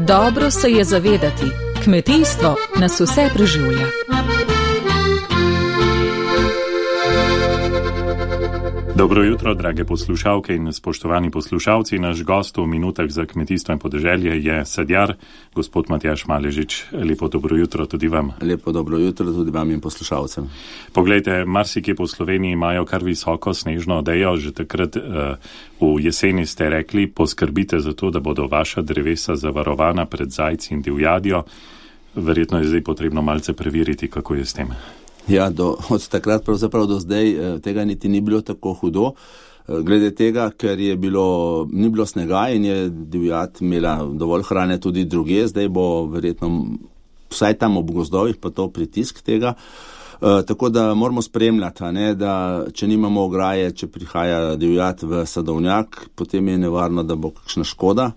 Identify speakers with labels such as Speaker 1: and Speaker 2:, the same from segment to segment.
Speaker 1: Dobro se je zavedati, kmetijstvo nas vse preživlja.
Speaker 2: Dobro jutro, drage poslušalke in spoštovani poslušalci. Naš gost v minutah za kmetijstvo in podeželje je sadjar, gospod Matjaž Maležič. Lepo dobro jutro tudi vam.
Speaker 3: Lepo dobro jutro tudi vam in poslušalcem.
Speaker 2: Poglejte, marsikje po Sloveniji imajo kar visoko snežno odejo. Že takrat v jeseni ste rekli, poskrbite za to, da bodo vaša drevesa zavarovana pred zajci in divjadjo. Verjetno je zdaj potrebno malce preveriti, kako je s tem.
Speaker 3: Ja, od takrat pravzaprav do zdaj tega niti ni bilo tako hudo. Glede tega, ker ni bilo snega in je divjad imela dovolj hrane tudi druge, zdaj bo verjetno vsaj tam ob gozdovih pa to pritisk tega. Tako da moramo spremljati, da če nimamo ograje, če prihaja divjad v sadovnjak, potem je nevarno, da bo kakšna škoda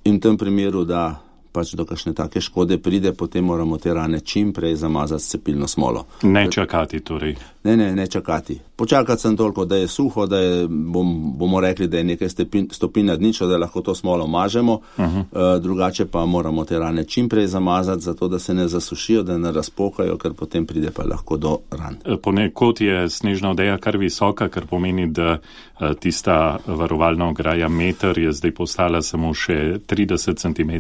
Speaker 3: in v tem primeru, da pač do kakšne take škode pride, potem moramo te rane čim prej zamazati s cepilno smolo.
Speaker 2: Ne čakati torej.
Speaker 3: Ne čakati. Počakati sem toliko, da je suho, da je, bomo rekli, da je nekaj stopinj nad ničlo, da lahko to smolo mažemo, drugače pa moramo te rane čim prej zamazati, zato da se ne zasušijo, da ne razpokajo, ker potem pride pa lahko do ran.
Speaker 2: Ponekod je snežna odeja kar visoka, kar pomeni, da tista varovalna ograja meter je zdaj postala samo še 30 cm.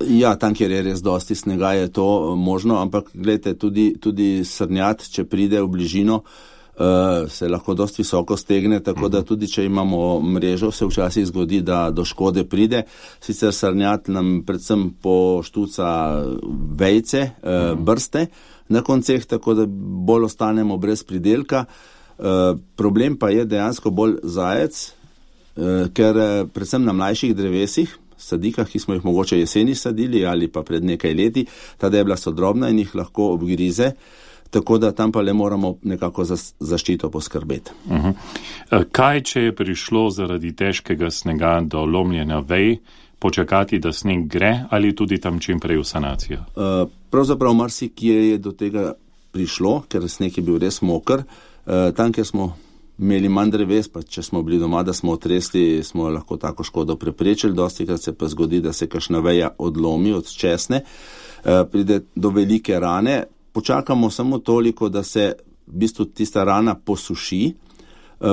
Speaker 3: Ja, tam, kjer je res dosti snega, je to možno, ampak gledajte, tudi srnjad, če pride v bližino, se lahko dosti visoko stegne, tako da tudi, če imamo mrežo, se včasih zgodi, da do škode pride. Sicer srnjad nam predvsem poštuca vejce, brste na konceh, tako da bolj ostanemo brez pridelka. Problem pa je dejansko bolj zajec, ker predvsem na mlajših drevesih, sadikah, ki smo jih mogoče jeseni sadili ali pa pred nekaj leti, ta debla so drobna in jih lahko obgrize, tako da tam pa le moramo nekako za zaščito poskrbeti.
Speaker 2: Kaj, če je prišlo zaradi težkega snega do lomljenja vej, počakati, da sneg gre ali tudi tam čim prej v sanacijo?
Speaker 3: Pravzaprav marsikje je do tega prišlo, ker sneg je bil res moker. Tam, kjer smo imeli manj dreves, pa če smo bili doma, da smo otresli, smo lahko tako škodo preprečili. Dostikrat se pa zgodi, da se kakšna veja odlomi, odčesne, pride do velike rane. Počakamo samo toliko, da se v bistvu tista rana posuši,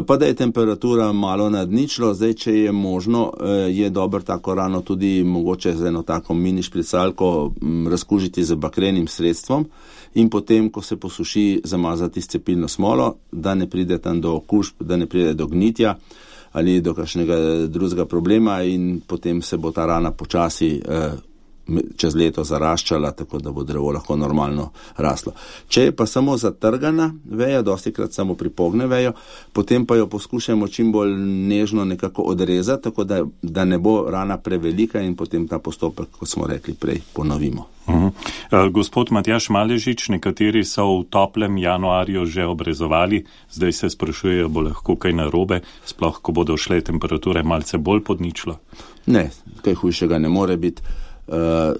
Speaker 3: pa da je temperatura malo nad ničlo. Zdaj, če je možno, je dobro tako rano tudi mogoče z eno tako mini špricalko razkužiti z bakrenim sredstvom in potem, ko se posuši, zamazati s cepilno smolo, da ne pride tam do okužb, da ne pride do gnitja ali do kakšnega drugega problema in potem se bo ta rana počasi čez leto zaraščala, tako da bo drevo lahko normalno raslo. Če je pa samo zatrgana veja, dostikrat samo pripogne vejo, potem pa jo poskušamo čim bolj nežno nekako odrezati, tako da ne bo rana prevelika in potem ta postopek, kot smo rekli prej, ponovimo.
Speaker 2: Gospod Matjaž Maležič, nekateri so v toplem januarju že obrezovali, zdaj se sprašujejo, bo lahko kaj narobe, sploh ko bodo šle temperature malce bolj pod ničlo?
Speaker 3: Ne, kaj hujšega ne more biti.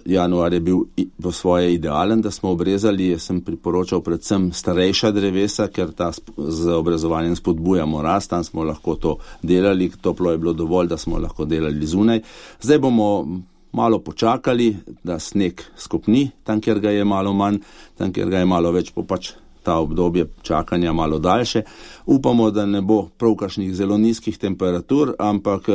Speaker 3: Januar je bil po svoje idealen, da smo obrezali. Jaz sem priporočal predvsem starejša drevesa, ker z obrezovanjem spodbujamo rast, tam smo lahko to delali, toplo je bilo dovolj, da smo lahko delali zunaj. Zdaj bomo malo počakali, da sneg skopni, tam kjer ga je malo manj, tam kjer ga je malo več, pač ta obdobje čakanja malo daljše. Upamo, da ne bo prav kakšnih zelo nizkih temperatur, ampak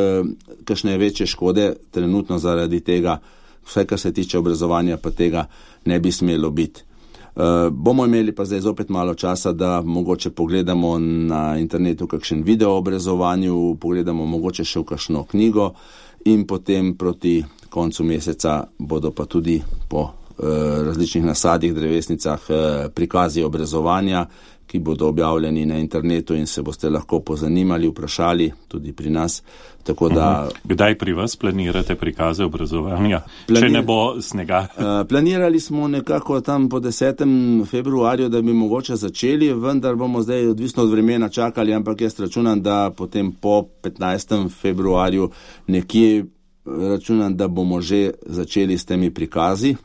Speaker 3: kakšne večje škode trenutno zaradi tega, vse, kar se tiče obrezovanja, pa tega ne bi smelo biti. Bomo imeli pa zdaj zopet malo časa, da mogoče pogledamo na internetu kakšen video o obrezovanju, pogledamo mogoče še v kakšno knjigo in potem proti koncu meseca bodo pa tudi po različnih nasadih, drevesnicah prikazi obrezovanja, ki bodo objavljeni na internetu in se boste lahko pozanimali, vprašali tudi pri nas. Tako da,
Speaker 2: kdaj pri vas planirate prikaze obrezovanja, če ne bo snega?
Speaker 3: Planirali smo nekako tam po 10. februarju, da bi mogoče začeli, vendar bomo zdaj odvisno od vremena čakali, ampak jaz računam, da potem po 15. februarju nekje računam, da bomo že začeli s temi prikazi,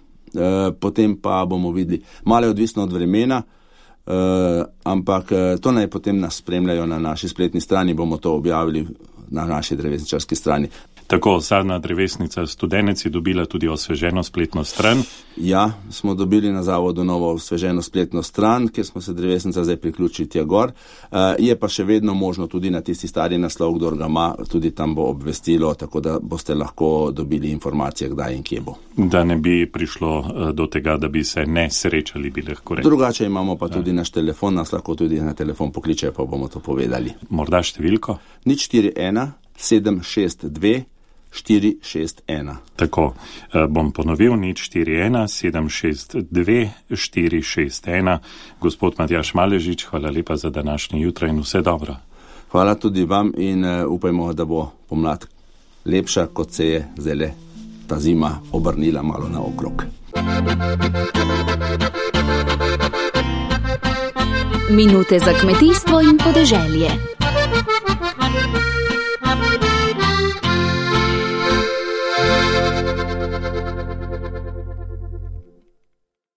Speaker 3: potem pa bomo videli. Malo je odvisno od vremena, ampak to naj potem nas spremljajo na naši spletni strani, bomo to objavili na naši drevesničarski strani.
Speaker 2: Tako, sadna drevesnica Studenec je dobila tudi osveženo spletno stran.
Speaker 3: Ja, smo dobili na zavodu novo osveženo spletno stran, kjer smo se drevesnica zdaj priključili tja gor. Je pa še vedno možno tudi na tisti stari naslov, kdor ga ima, tudi tam bo obvestilo, tako da boste lahko dobili informacije, kdaj in kje bo.
Speaker 2: Da ne bi prišlo do tega, da bi se ne srečali, bi lahko rekli.
Speaker 3: Drugače imamo pa tudi naš telefon, nas lahko tudi na telefon pokličejo, pa bomo to povedali.
Speaker 2: Morda številko?
Speaker 3: 041 762 461.
Speaker 2: Tako, bom ponovil, 041 762 461. Gospod Matjaž Maležič, hvala lepa za današnje jutro in vse dobro.
Speaker 3: Hvala tudi vam in upajmo, da bo pomlad lepša, kot se je zdaj ta zima obrnila malo naokrog.
Speaker 4: Minute za kmetijstvo in podeželje.